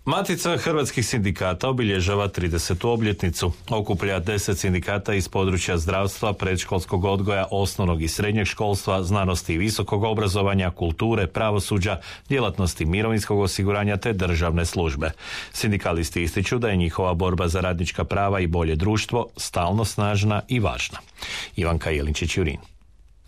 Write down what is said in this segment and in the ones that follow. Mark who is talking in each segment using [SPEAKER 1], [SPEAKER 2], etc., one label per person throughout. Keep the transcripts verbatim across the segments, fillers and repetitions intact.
[SPEAKER 1] Matica hrvatskih sindikata obilježava tridesetu obljetnicu. Okuplja deset sindikata iz područja zdravstva, predškolskog odgoja, osnovnog i srednjeg školstva, znanosti i visokog obrazovanja, kulture, pravosuđa, djelatnosti mirovinskog osiguranja te državne službe. Sindikalisti ističu da je njihova borba za radnička prava i bolje društvo stalno snažna i važna. Ivanka Jelinčić-Jurin.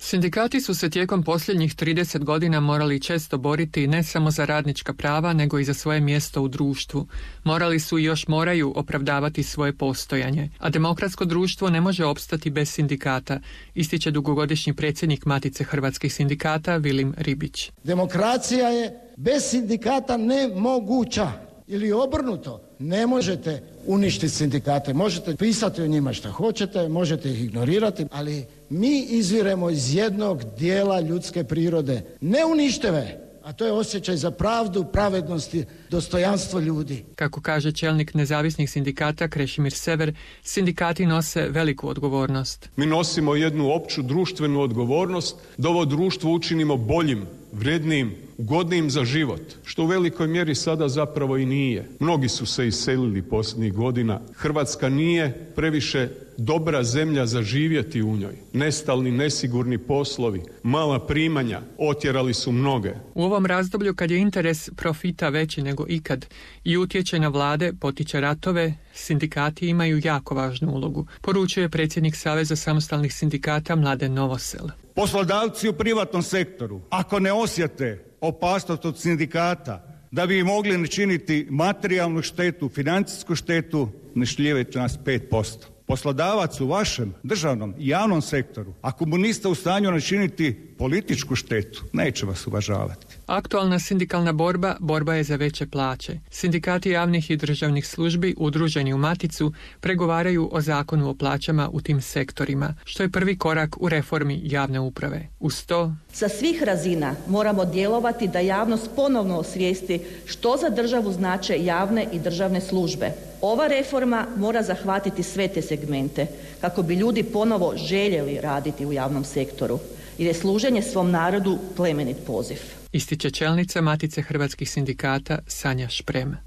[SPEAKER 2] Sindikati su se tijekom posljednjih trideset godina morali često boriti ne samo za radnička prava, nego i za svoje mjesto u društvu. Morali su i još moraju opravdavati svoje postojanje, a demokratsko društvo ne može opstati bez sindikata, ističe dugogodišnji predsjednik Matice hrvatskih sindikata Vilim Ribić.
[SPEAKER 3] Demokracija je bez sindikata nemoguća. Ili obrnuto, ne možete uništiti sindikate, možete pisati o njima što hoćete, možete ih ignorirati, ali mi izviremo iz jednog dijela ljudske prirode, neuništive, a to je osjećaj za pravdu, pravednosti, dostojanstvo ljudi.
[SPEAKER 2] Kako kaže čelnik nezavisnih sindikata Krešimir Sever, sindikati nose veliku odgovornost.
[SPEAKER 4] Mi nosimo jednu opću društvenu odgovornost da ovo društvo učinimo boljim, vrijednijim, ugodnijim za život, što u velikoj mjeri sada zapravo i nije. Mnogi su se iselili posljednjih godina. Hrvatska nije previše dobra zemlja za živjeti u njoj. Nestalni, nesigurni poslovi, mala primanja otjerali su mnoge.
[SPEAKER 2] U ovom razdoblju, kad je interes profita veći nego ikad i utječe na vlade, potiče ratove, sindikati imaju jako važnu ulogu, poručuje predsjednik Saveza samostalnih sindikata Mladen Novosel.
[SPEAKER 5] Poslodavci u privatnom sektoru, ako ne osjete opasnost od sindikata, da bi mogli načiniti materijalnu štetu, financijsku štetu, ne šljivajte nas pet posto. Poslodavac u vašem državnom i javnom sektoru, ako mu niste u stanju načiniti političku štetu, neće vas uvažavati.
[SPEAKER 2] Aktualna sindikalna borba, borba je za veće plaće. Sindikati javnih i državnih službi, udruženi u Maticu, pregovaraju o zakonu o plaćama u tim sektorima, što je prvi korak u reformi javne uprave. Uz to,
[SPEAKER 6] sa svih razina moramo djelovati da javnost ponovno osvijesti što za državu znače javne i državne službe. Ova reforma mora zahvatiti sve te segmente kako bi ljudi ponovo željeli raditi u javnom sektoru, jer je služenje svom narodu plemenit poziv.
[SPEAKER 2] Ističe čelnica Matice hrvatskih sindikata Sanja Šprem.